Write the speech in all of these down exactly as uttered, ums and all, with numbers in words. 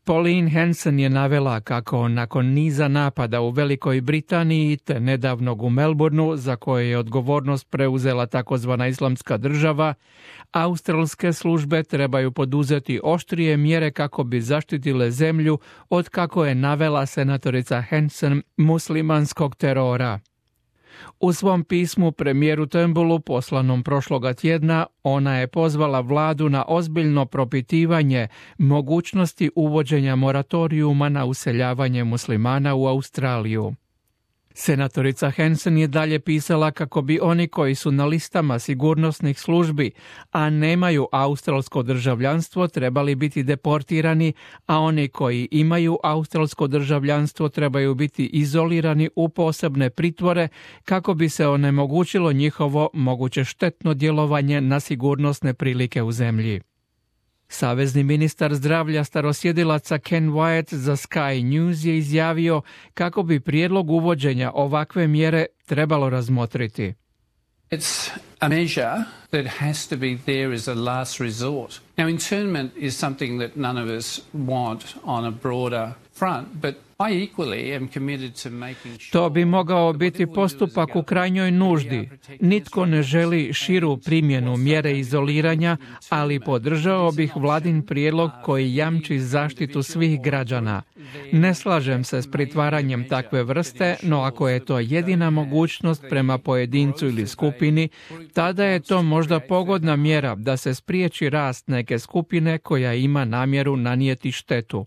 Pauline Hanson je navela kako nakon niza napada u Velikoj Britaniji te nedavnog u Melbourneu, za koje je odgovornost preuzela takozvana Islamska država, australske službe trebaju poduzeti oštrije mjere kako bi zaštitile zemlju od, kako je navela senatorica Hanson, muslimanskog terora. U svom pismu premijeru Turnbullu poslanom prošloga tjedna, ona je pozvala vladu na ozbiljno propitivanje mogućnosti uvođenja moratorijuma na useljavanje muslimana u Australiju. Senatorica Hanson je dalje pisala kako bi oni koji su na listama sigurnosnih službi, a nemaju australsko državljanstvo, trebali biti deportirani, a oni koji imaju australsko državljanstvo trebaju biti izolirani u posebne pritvore kako bi se onemogućilo njihovo moguće štetno djelovanje na sigurnosne prilike u zemlji. Savezni ministar zdravlja starosjedilaca Ken Wyatt za Sky News je izjavio kako bi prijedlog uvođenja ovakve mjere trebalo razmotriti. It's a measure that has to be there as a last resort. Now, internment is something that none of us want on a broader front, but I equally am committed to making sure... To bi mogao biti postupak u krajnjoj nuždi. Nitko ne želi širu primjenu mjere izoliranja, ali podržao bih vladin prijedlog koji jamči zaštitu svih građana. Ne slažem se s pritvaranjem takve vrste, no ako je to jedina mogućnost prema pojedincu ili skupini, tada je to možda pogodna mjera da se spriječi rast neke skupine koja ima namjeru nanijeti štetu.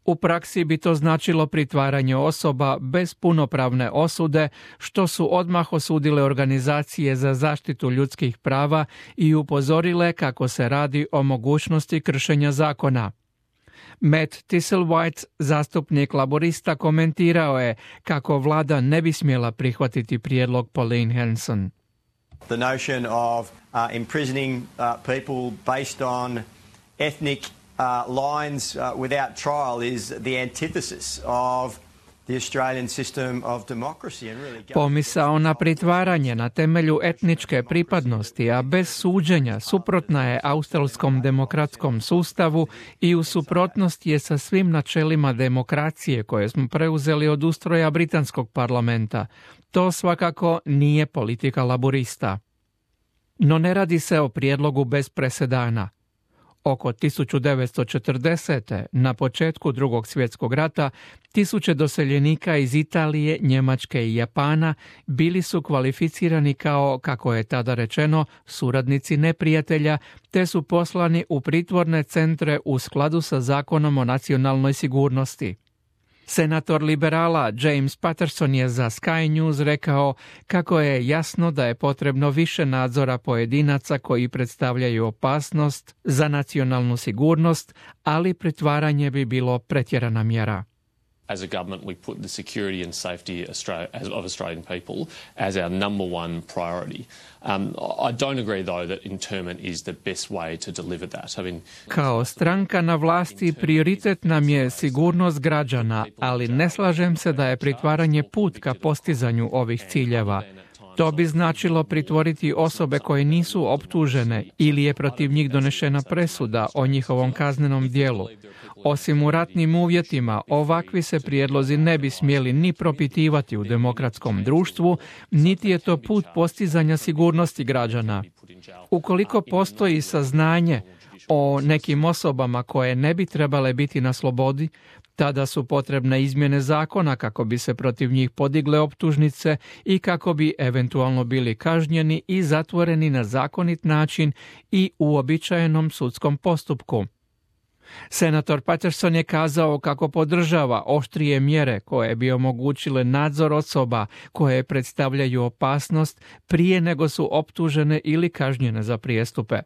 U praksi bi to značilo pritvaranje osoba bez punopravne osude, što su odmah osudile organizacije za zaštitu ljudskih prava i upozorile kako se radi o mogućnosti kršenja zakona. Matt Thistlewhite, zastupnik laborista, komentirao je kako vlada ne bi smjela prihvatiti prijedlog Pauline Hanson. The notion of uh, imprisoning uh, people based on ethnic Uh, lines uh, without trial is the antithesis of the Australian system of democracy and really... Pomisao na pritvaranje na temelju etničke pripadnosti, a bez suđenja, suprotna je australskom demokratskom sustavu i u suprotnosti je sa svim načelima demokracije koje smo preuzeli od ustroja britanskog parlamenta. To svakako nije politika laborista. No ne radi se o prijedlogu bez presedana. Oko tisuću devetsto četrdesete. na početku Drugog svjetskog rata, tisuće doseljenika iz Italije, Njemačke i Japana bili su kvalificirani kao, kako je tada rečeno, suradnici neprijatelja, te su poslani u pritvorne centre u skladu sa Zakonom o nacionalnoj sigurnosti. Senator liberala James Patterson je za Sky News rekao kako je jasno da je potrebno više nadzora pojedinaca koji predstavljaju opasnost za nacionalnu sigurnost, ali pritvaranje bi bilo pretjerana mjera. As a government, we put the security and safety of Australian people as our number one priority. Um, I don't agree, though, that internment is the best way to deliver that. I mean, Kao stranka na vlasti prioritet nam je sigurnost građana, ali ne slažem se da je pritvaranje put ka postizanju ovih ciljeva. To bi značilo pritvoriti osobe koje nisu optužene ili je protiv njih donešena presuda o njihovom kaznenom djelu. Osim u ratnim uvjetima, ovakvi se prijedlozi ne bi smjeli ni propitivati u demokratskom društvu, niti je to put postizanja sigurnosti građana. Ukoliko postoji saznanje o nekim osobama koje ne bi trebale biti na slobodi, tada su potrebne izmjene zakona kako bi se protiv njih podigle optužnice i kako bi eventualno bili kažnjeni i zatvoreni na zakonit način i u uobičajenom sudskom postupku. Senator Patterson je kazao kako podržava oštrije mjere koje bi omogućile nadzor osoba koje predstavljaju opasnost prije nego su optužene ili kažnjene za prijestupe.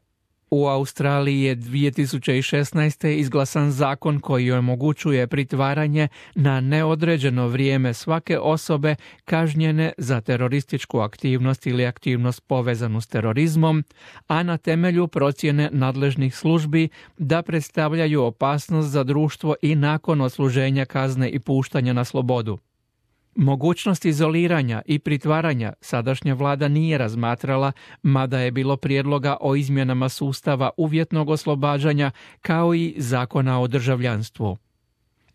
U Australiji je dvije tisuće šesnaeste. izglasan zakon koji omogućuje pritvaranje na neodređeno vrijeme svake osobe kažnjene za terorističku aktivnost ili aktivnost povezanu s terorizmom, a na temelju procjene nadležnih službi da predstavljaju opasnost za društvo i nakon odsluženja kazne i puštanja na slobodu. Mogućnost izoliranja i pritvaranja sadašnja vlada nije razmatrala, mada je bilo prijedloga o izmjenama sustava uvjetnog oslobađanja kao i zakona o državljanstvu.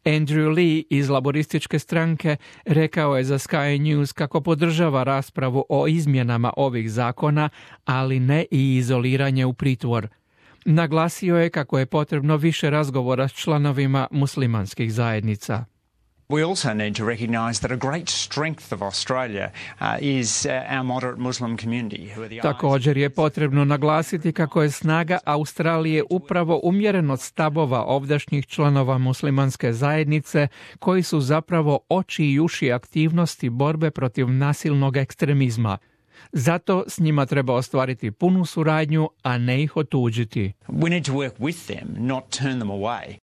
Andrew Lee iz laborističke stranke rekao je za Sky News kako podržava raspravu o izmjenama ovih zakona, ali ne i izoliranje u pritvor. Naglasio je kako je potrebno više razgovora s članovima muslimanskih zajednica. We also need to recognise that a great strength of Australia uh, is uh, our moderate Muslim community. Who are the Također je potrebno naglasiti kako je snaga Australije upravo umjerenost stavova ovdašnjih članova muslimanske zajednice, koji su zapravo oči i uši aktivnosti borbe protiv nasilnog ekstremizma. Zato s njima treba ostvariti punu suradnju, a ne ih otuđiti. We need to work with them, not turn them away.